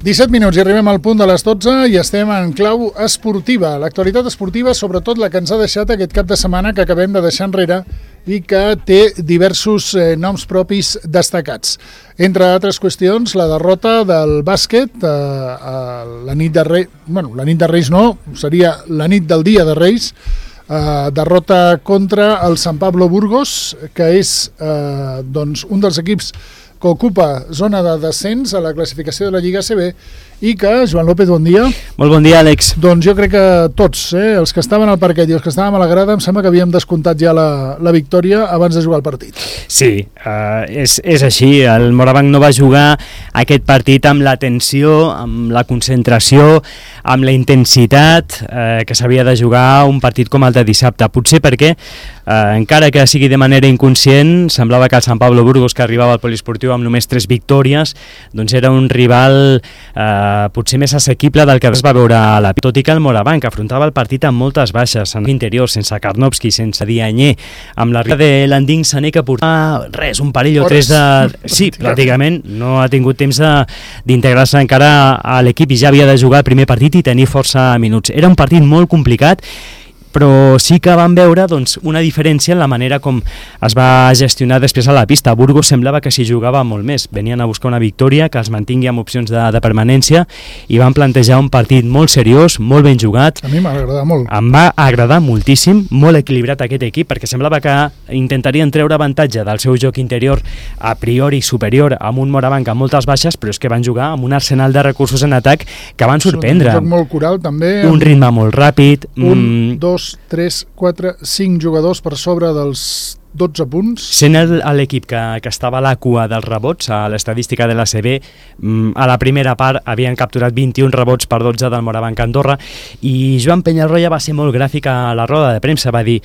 17 minuts i arribem al punt de les 12 i estem en clau esportiva. L'actualitat esportiva, sobretot la que ens ha deixat aquest cap de setmana que acabem de deixar enrere i que té diversos noms propis destacats. Entre altres qüestions, la derrota del bàsquet la nit de Reis, la nit de Reis no, seria la nit del dia de Reis, derrota contra el Sant Pablo Burgos, que és un dels equips que ocupa zona de descens a la classificació de la Lliga ACB i que, Joan López, bon dia. Molt bon dia, Àlex. Doncs jo crec que tots, els que estaven al parquet i els que estàvem a la grada, em sembla que havíem descomptat ja la victòria abans de jugar el partit. Sí, és així. El Morabanc no va jugar aquest partit amb la tensió, amb la concentració, amb la intensitat que s'havia de jugar un partit com el de dissabte. Potser perquè, encara que sigui de manera inconscient, semblava que el Sant Pablo Burgos, que arribava al poliesportiu amb només 3 victòries, doncs era un rival potser més assequible del que es va veure a la... Tot i que el Morabanc afrontava el partit amb moltes baixes, en l'interior, sense Karnovski, sense Dianyé, amb l'arribada de Landing Sané, que portava un parell o 3 de... Sí, pràcticament no ha tingut temps d'integrar-se encara a l'equip i ja havia de jugar el primer partit i tenir força minuts. Era un partit molt complicat, però sí que vam veure una diferència en la manera com es va gestionar després a la pista. Burgos semblava que s'hi jugava molt més. Venien a buscar una victòria que els mantingui amb opcions de permanència i van plantejar un partit molt seriós, molt ben jugat. A mi m'ha agradat molt. Em va agradar moltíssim, molt equilibrat aquest equip, perquè semblava que intentarien treure avantatge del seu joc interior a priori superior amb un Morabanc amb moltes baixes, però és que van jugar amb un arsenal de recursos en atac que van sorprendre. Un joc molt coral també. Un ritme molt ràpid. 1, 2, 3, 4, 5 jugadors per sobre dels 12 punts. Sent l'equip que estava a la cua dels rebots, a l'estadística de l'ACB, a la primera part havien capturat 21 rebots per 12 del Morabanc Andorra, i Joan Penyarroia va ser molt gràfic a la roda de premsa, va dir: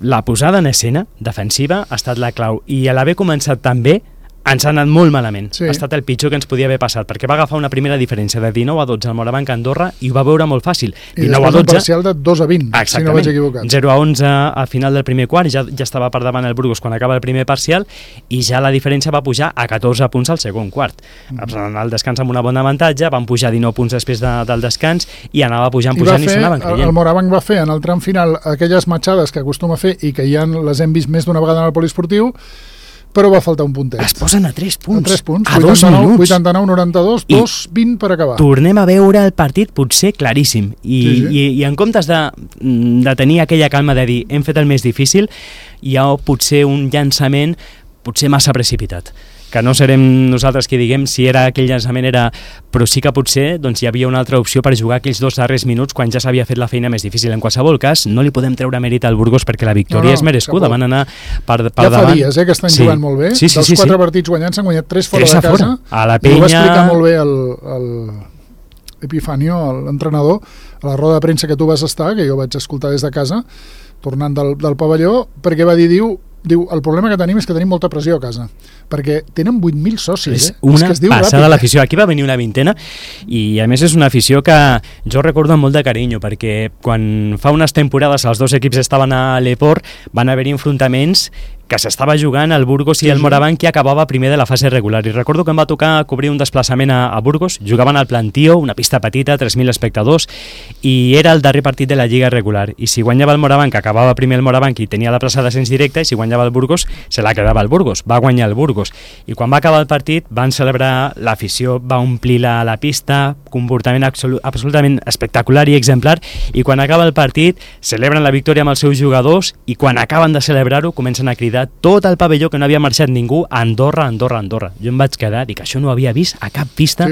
la posada en escena defensiva ha estat la clau, i a l'haver començat tan bé ens ha anat molt malament. Sí. Ha estat el pitjor que ens podia haver passat, perquè va agafar una primera diferència de 19 a 12 al Morabanc Andorra i ho va veure molt fàcil. I després un parcial de 2 a 20, si no vaig equivocat. 0 a 11 al final del primer quart, ja estava per davant el Burgos quan acaba el primer parcial, i ja la diferència va pujar a 14 punts al segon quart. Al descans amb una bona avantatge, van pujar 19 punts després del descans i anava pujant i s'anaven creient. El Morabanc va fer en el tram final aquelles matxades que acostuma a fer i que ja les hem vist més d'una vegada en el poliesportiu, però va faltar un puntet. Es posen a 3 punts. A 3 punts, a 2 minuts. 89-92, 2-20 per acabar. Tornem a veure el partit potser claríssim. I en comptes de tenir aquella calma de dir hem fet el més difícil, hi ha potser un llançament potser massa precipitat. Que no serem nosaltres qui diguem si aquell llançament era... Però sí que potser hi havia una altra opció per jugar aquells 2 darrers minuts quan ja s'havia fet la feina més difícil. En qualsevol cas, no li podem treure mèrit al Burgos perquè la victòria és merescuda. Van anar per davant. Ja fa dies que estan jugant molt bé. Dels 4 partits guanyats s'han guanyat 3 fora de casa. A la Penya... I ho va explicar molt bé l'Epifanio, l'entrenador, a la roda de premsa que tu vas estar, que jo vaig escoltar des de casa, tornant del pavelló, perquè va dir, diu, el problema que tenim és que tenim molta pressió a casa, perquè tenen 8.000 socis. És una passada de l'afició. Aquí va venir una vintena i a més és una afició que jo recordo amb molt de carinyo, perquè quan fa unes temporades els 2 equips estaven a l'Eport van haver-hi enfrontaments que s'estava jugant el Burgos i el Morabanc, que acabava primer de la fase regular. I recordo que em va tocar cobrir un desplaçament a Burgos, jugaven al Plantío, una pista petita, 3.000 espectadors, i era el darrer partit de la Lliga regular. I si guanyava el Morabanc, acabava primer el Morabanc i tenia la plaça d'ascens directe, i si guanyava el Burgos, se la quedava el Burgos. Va guanyar el Burgos. I quan va acabar el partit, van celebrar, l'afició va omplir la pista, comportament absolutament espectacular i exemplar, i quan acaba el partit, celebren la victòria amb els seus jugadors, i quan acaben de celebrar-ho, comencen a cridar tot el pavelló, que no havia marxat ningú, Andorra, Andorra, Andorra. Jo em vaig quedar, dic, això no ho havia vist a cap pista,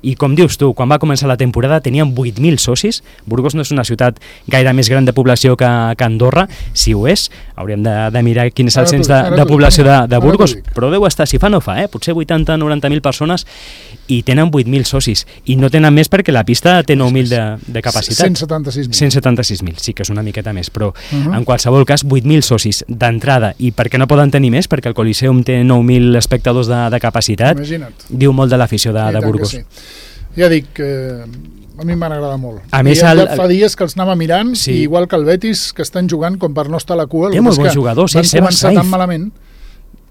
i com dius tu, quan va començar la temporada tenien 8.000 socis. Burgos no és una ciutat gaire més gran de població que Andorra, si ho és, hauríem de mirar quin és el cens de població de Burgos, però deu estar, si fa no fa, potser 80-90.000 persones, i tenen 8.000 socis, i no tenen més perquè la pista té 9.000 de capacitat. 176.000, sí que és una miqueta més, però en qualsevol cas 8.000 socis d'entrada, i perquè no poden tenir més, perquè el Coliseum té 9.000 espectadors de capacitat. Imagina't. Diu molt de l'afició de Burgos. Ja dic, a mi m'han agradat molt. A més, ja fa dies que els anava mirant, i igual que el Betis, que estan jugant com per no estar a la cua. Té molt bons jugadors, van començar tan malament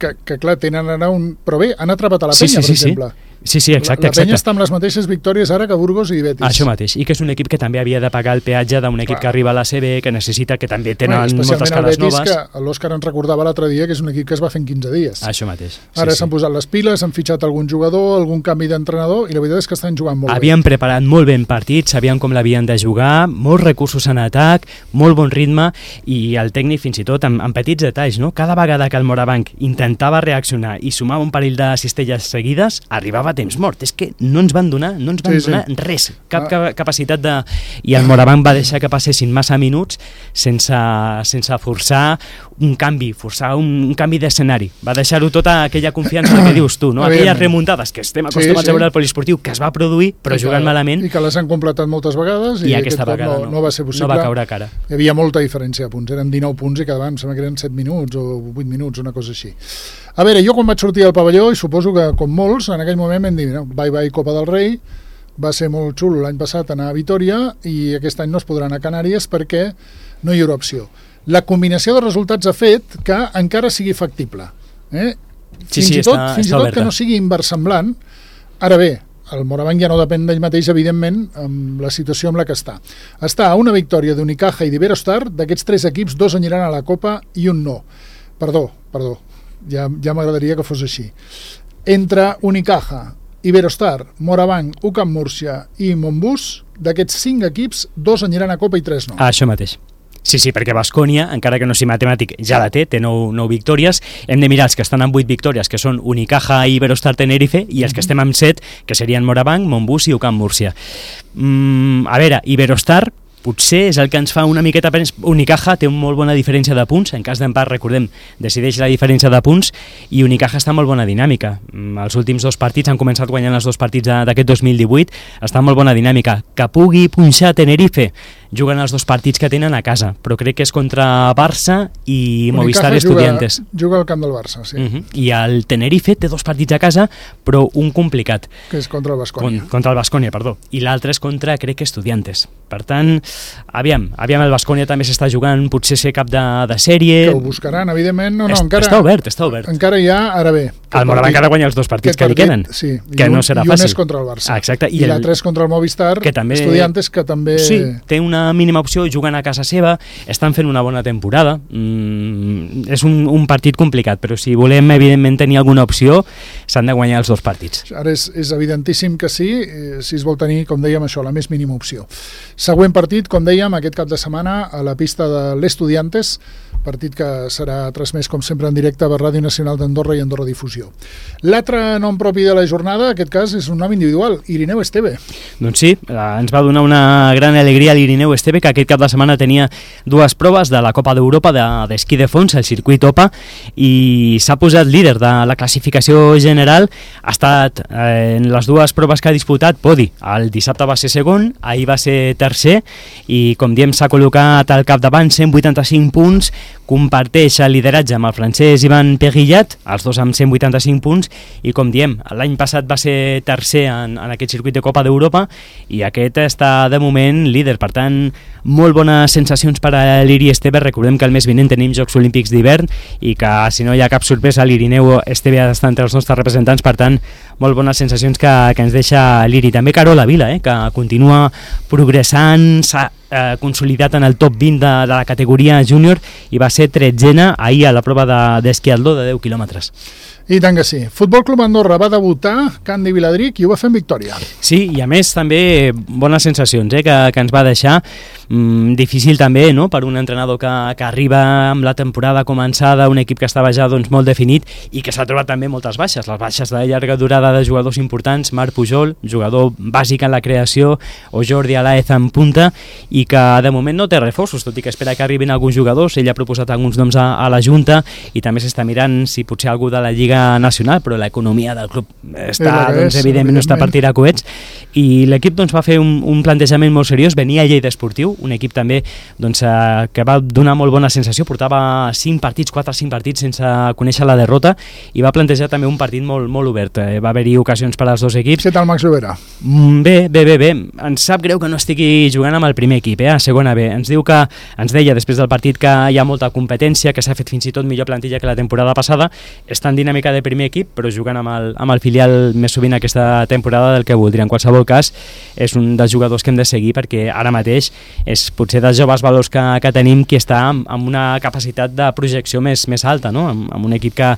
que clar, tenen ara un... Però bé, han atrapat a la Penya, per exemple. Sí, exacte. La Penya està amb les mateixes victòries ara que Burgos i Betis. Això mateix, i que és un equip que també havia de pagar el peatge d'un equip que arriba a la CB, que necessita, que també tenen moltes cares noves. Que l'Òscar ens recordava l'altre dia que és un equip que es va fer en 15 dies. Això mateix. Ara s'han posat les piles, han fitxat algun jugador, algun canvi d'entrenador, i la veritat és que estan jugant molt bé. Havien preparat molt ben partits, sabien com l'havien de jugar, molts recursos en atac, molt bon ritme, i el tècnic fins i tot amb petits detalls, no? Cada vegada que el Morabanc intentava reaccionar i sumava un parell de cistelles seguides, arribava a temps mort. És que no ens van donar res, cap capacitat de... I el Morabanc va deixar que passessin massa minuts sense forçar un canvi, un canvi d'escenari. Va deixar-ho tota aquella confiança que dius tu, no? Aquelles remuntades que estem acostumats a veure al poliesportiu, que es va produir, però jugant malament. I que les han completat moltes vegades i aquesta vegada no va ser possible. No va caure a cara. Hi havia molta diferència de punts, eren 19 punts i quedaven, em sembla que eren 7 minuts o 8 minuts, una cosa així. A veure, jo quan vaig sortir al pavelló, i suposo que com molts, en aquell moment vam dir, no, bye Copa del Rei, va ser molt xulo l'any passat anar a Vitoria i aquest any no es podrà anar a Canàries perquè no hi haurà opció. La combinació de resultats ha fet que encara sigui factible. Fins i tot que no sigui inversemblant. Ara bé, el Morabanc ja no depèn d'ell mateix, evidentment, amb la situació amb la que està. Està a una victòria d'Unicaja i d'Iberostar, d'aquests 3 equips, 2 aniran a la Copa i un no. Perdó, ja m'agradaria que fos així. Entre Unicaja, Iberostar, Morabanc, UCAM Múrcia i Montbus, d'aquests 5 equips, 2 aniran a Copa i 3 no. Això mateix. Sí, perquè Baskonia, encara que no sigui matemàtic, ja la té 9 victòries. Hem de mirar els que estan amb 8 victòries, que són Unicaja i Iberostar Tenerife, i els que estem amb 7, que serien Morabanc, Montbus i UCAM Múrcia. A veure, Iberostar potser és el que ens fa una miqueta... Unicaja té una molt bona diferència de punts, en cas d'empat, recordem, decideix la diferència de punts, i Unicaja està en molt bona dinàmica. Els últims 2 partits han començat guanyant els 2 partits d'aquest 2018, està en molt bona dinàmica. Que pugui punxar Tenerife, juguen els 2 partits que tenen a casa, però crec que és contra Barça i Movistar Estudiantes. Juga al camp del Barça, sí. I el Tenerife té 2 partits a casa, però un complicat. Que és contra el Baskonia. Contra el Baskonia, perdó. I l'altre és contra, crec que Estudiantes. Per tant, aviam, el Baskonia també s'està jugant, potser ser cap de sèrie... Que ho buscaran, evidentment. Encara, està obert. Encara hi ha, ara bé... El Morabanc ha de guanyar els 2 partits que li queden, sí, que no serà fàcil. I un és contra el Barça. Exacte. I l'altre és contra el Movistar, Estudiantes, que també... Sí, té una mínima opció, juguen a casa seva, estan fent una bona temporada. És un partit complicat, però si volem, evidentment, tenir alguna opció, s'han de guanyar els 2 partits. Ara és evidentíssim que sí, si es vol tenir, com dèiem, això, la més mínima opció. Següent partit, com dèiem, aquest cap de setmana a la pista de l'Estudiantes, partit que serà transmès, com sempre, en directe per Ràdio Nacional d'Andorra i Andorra Difusió. L'altre nom propi de la jornada, en aquest cas, és un nom individual, Irineu Esteve. Doncs sí, ens va donar una gran alegria l'Irineu Esteve, que aquest cap de setmana tenia 2 proves de la Copa d'Europa d'esquí de fons, el circuit OPA, i s'ha posat líder de la classificació general. Ha estat en les 2 proves que ha disputat podi. El dissabte va ser segon, ahir va ser tercer, i com diem s'ha col·locat al capdavant, 185 punts, comparteix el lideratge amb el francès Ivan Perillat, els 2 amb 185 punts, i com diem, l'any passat va ser tercer en aquest circuit de Copa d'Europa i aquest està de moment líder. Per tant, molt bones sensacions per a l'Iri Esteve. Recordem que el mes vinent tenim Jocs Olímpics d'hivern i que si no hi ha cap sorpresa l'Irineu Esteve ha d'estar entre els nostres representants. Per tant, molt bones sensacions que ens deixa l'Iri. També Carola Vila, que continua progressant, s'ha consolidat en el top 20 de la categoria júnior i va ser 13a ahir a la prova d'esquiador de 10 quilòmetres. I tant que sí. Futbol Club Andorra va debutar Candi Viladric i ho va fer en victòria. Sí, i a més també bones sensacions que ens va deixar. Difícil també, no?, per un entrenador que arriba amb la temporada començada, un equip que estava ja molt definit i que s'ha trobat també moltes baixes. Les baixes de llarga durada de jugadors importants, Marc Pujol, jugador bàsic en la creació, o Jordi Alaez en punta, i que de moment no té reforços, tot i que espera que arribin alguns jugadors. Ell ha proposat alguns noms a la Junta i també s'està mirant si potser algú de la Lliga Nacional, però l'economia del club està, evidentment no està per tirar coets, i l'equip va fer un plantejament molt seriós. Venia a Lleida Esportiu, un equip també que va donar molt bona sensació, portava 4 o 5 partits sense conèixer la derrota i va plantejar també un partit molt obert. Va haver-hi ocasions per als dos equips. Què tal Max Llobera? Bé. Ens sap greu que no estigui jugant amb el primer equip, a segona B. Ens deia després del partit que hi ha molta competència, que s'ha fet fins i tot millor plantilla que la temporada passada. Està en dinàmica de primer equip, però jugant amb el filial més sovint aquesta temporada del que voldria. En qualsevol cas, és un dels jugadors que hem de seguir perquè ara mateix és potser dels joves valors que tenim qui està amb una capacitat de projecció més alta, no? Amb un equip que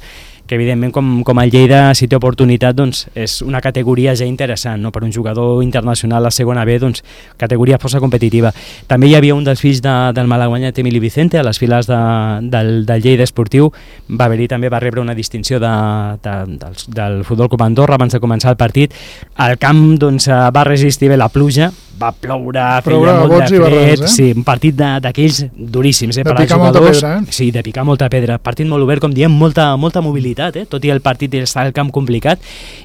evidentment com el Lleida, si té oportunitat, doncs és una categoria ja interessant, no? Per un jugador internacional a segona B, doncs categoria força competitiva. També hi havia un dels fills del malaguanyat Emili Vicente a les files del Lleida Esportiu, va rebre una distinció del Futbol Club Andorra abans de començar el partit. El camp doncs va resistir bé la pluja, va ploure, feia molt de fred, sí, un partit d'aquells duríssims per als jugadors. Pedra, Sí, de picar molta pedra. Partit molt obert, com diem, molta mobilitat, tot i el partit està al camp complicat,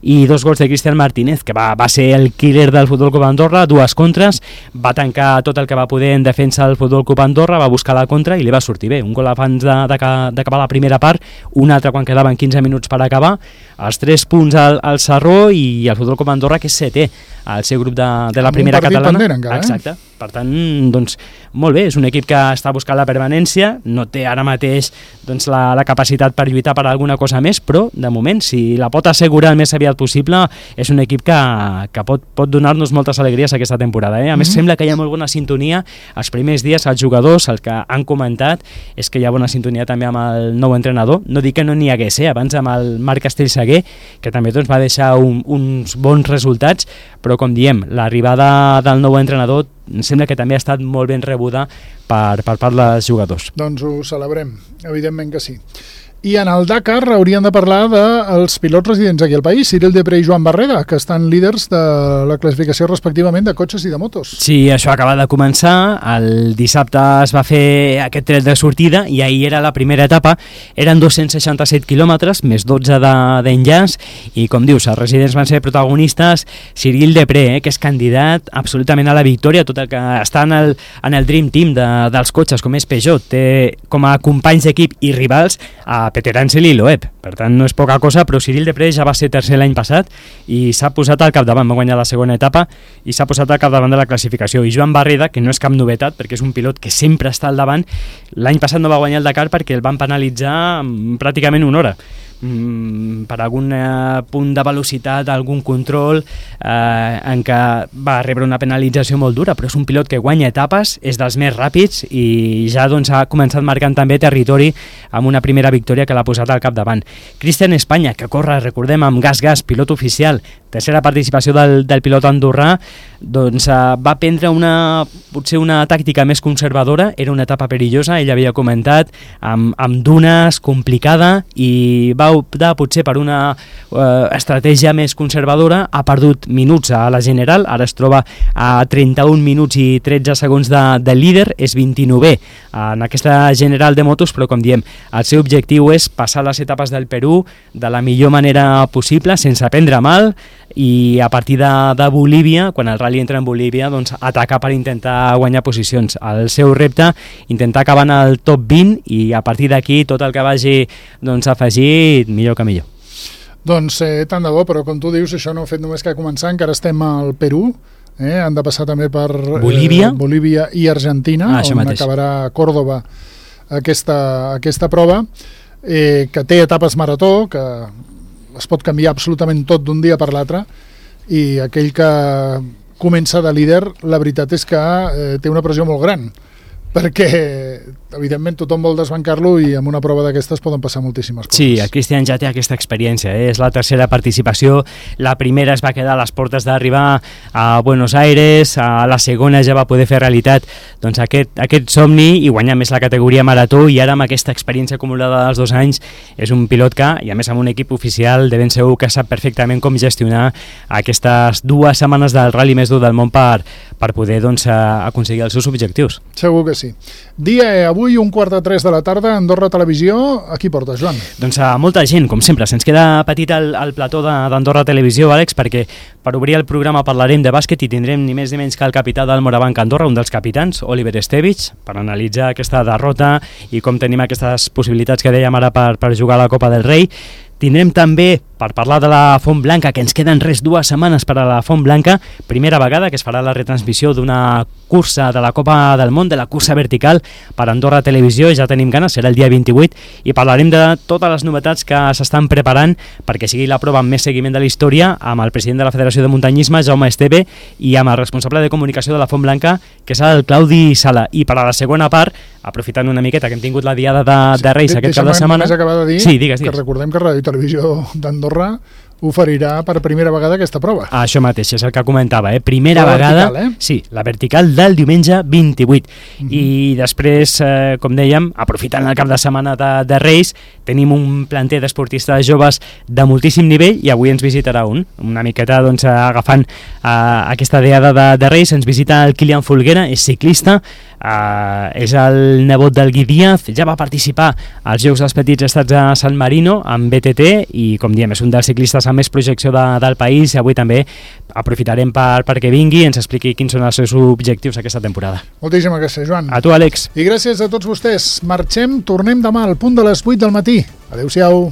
i 2 gols de Cristian Martínez, que va ser el killer del Futbol Club Andorra, 2 contres, va tancar tot el que va poder en defensa del Futbol Club Andorra, va buscar la contra i li va sortir bé. Un gol abans d'acabar la primera part, un altre quan quedaven 15 minuts per acabar, els 3 punts al Sarró i el Futbol Club Andorra, que és 7è al seu grup de la primera catalana. Pendent, encara, Exacte. Per tant, doncs, molt bé, és un equip que està buscant la permanència, no té ara mateix doncs, la capacitat per lluitar per alguna cosa més, però de moment, si la pot assegurar el més aviat possible, és un equip que pot donar-nos moltes alegries aquesta temporada. A més, sembla que hi ha molt bona sintonia els primers dies, els jugadors, el que han comentat és que hi ha bona sintonia també amb el nou entrenador. No dic que no n'hi hagués, abans amb el Marc Castellsaguer, que també doncs, va deixar uns bons resultats, però com diem, l'arribada del nou entrenador em sembla que també ha estat molt ben rebuda per part dels jugadors. Doncs ho celebrem, evidentment que sí. I en el Dakar hauríem de parlar dels pilots residents aquí al país, Cyril Depré i Joan Barreda, que estan líders de la classificació respectivament de cotxes i de motos. Sí, això acaba de començar, el dissabte es va fer aquest tret de sortida i ahir era la primera etapa, eren 267 quilòmetres, més 12 d'enllaç, i com dius, els residents van ser protagonistes. Cyril Depré, que és candidat absolutament a la victòria, tot el que està en el Dream Team dels cotxes, com és Peugeot, té com a companys d'equip i rivals a Peter Ansel i Loeb, per tant no és poca cosa, però Cyril Depré ja va ser tercer l'any passat i s'ha posat al capdavant, va guanyar la segona etapa i s'ha posat al capdavant de la classificació. I Joan Barreda, que no és cap novetat perquè és un pilot que sempre està al davant, l'any passat no va guanyar el Dakar perquè el van penalitzar pràcticament una hora per algun punt de velocitat, algun control en què va rebre una penalització molt dura, però és un pilot que guanya etapes, és dels més ràpids i ja doncs, ha començat marcant també territori amb una primera victòria que l'ha posat al capdavant. Cristian Espanya, que corre, recordem, amb Gas, pilot oficial, tercera participació del pilot andorrà, doncs va prendre potser una tàctica més conservadora, era una etapa perillosa, ell havia comentat, amb dunes, complicada, i va optar potser per una estratègia més conservadora, ha perdut minuts a la general, ara es troba a 31 minuts i 13 segons de líder, és 29è en aquesta general de motos, però com diem, el seu objectiu és passar les etapes del Perú de la millor manera possible, sense prendre mal, i a partir de Bolívia, quan el rally entra en Bolívia, doncs atacar per intentar guanyar posicions. El seu repte, intentar acabar en el top 20 i a partir d'aquí tot el que vagi afegir, millor que millor. Doncs tant de bo, però com tu dius, això no ha fet només que començar, encara estem al Perú, han de passar també per Bolívia i Argentina, on acabarà Córdoba aquesta prova, que té etapes marató, que es pot canviar absolutament tot d'un dia per l'altre, i aquell que comença de líder, la veritat és que té una pressió molt gran, perquè evidentment tothom vol desbancar-lo i en una prova d'aquestes poden passar moltíssimes coses. Sí, el Cristian ja té aquesta experiència, és la tercera participació, la primera es va quedar a les portes d'arribar a Buenos Aires, a la segona ja va poder fer realitat doncs, aquest somni i guanyar més la categoria marató, i ara amb aquesta experiència acumulada dels 2 anys és un pilot que, i a més amb un equip oficial, de ben segur que sap perfectament com gestionar aquestes 2 setmanes del rally més dur del món per poder doncs, aconseguir els seus objectius. Segur que sí. Dia avui, 2:45 de la tarda, Andorra Televisió. A qui portes, Joan? Doncs a molta gent, com sempre. Se'ns queda petit el plató d'Andorra Televisió, Àlex, perquè Per obrir el programa parlarem de bàsquet i tindrem ni més ni menys que el capità del Morabanc Andorra, un dels capitans, Oliver Estevich, per analitzar aquesta derrota i com tenim aquestes possibilitats que dèiem ara per jugar a la Copa del Rei. Tindrem també, per parlar de la Font Blanca, que ens queden 2 setmanes per a la Font Blanca, primera vegada que es farà la retransmissió d'una cursa de la Copa del Món, de la cursa vertical, per Andorra Televisió, ja tenim ganes, serà el dia 28, i parlarem de totes les novetats que s'estan preparant perquè sigui la prova amb més seguiment de la història, amb el president de la Federació de Muntanyisme, Jaume Esteve, i amb el responsable de comunicació de la Font Blanca, que és el Claudi Sala. I per a la segona part, aprofitant una miqueta que hem tingut la diada de Reis aquest cap de setmana... Deixa'm acabar de dir sí, digues. Que recordem que Ràdio Televisió d'Andorra oferirà per primera vegada aquesta prova. Això mateix, és el que comentava, primera la vegada... Vertical, Sí, la vertical del diumenge 28. I després, com dèiem, aprofitant el cap de setmana de Reis, tenim un planter d'esportistes joves de moltíssim nivell i avui ens visitarà una miqueta doncs, agafant aquesta diada de Reis, ens visita el Kilian Folguera, és ciclista, és el nebot del Gui Díaz, ja va participar als Jocs dels Petits Estats a San Marino amb BTT i, com diem, és un dels ciclistes amb més projecció del país i avui també aprofitarem perquè vingui i ens expliqui quins són els seus objectius aquesta temporada. Moltíssimes gràcies, Joan. A tu, Àlex. I gràcies a tots vostès. Marxem, tornem demà al punt de les 8 del matí. Adéu-siau.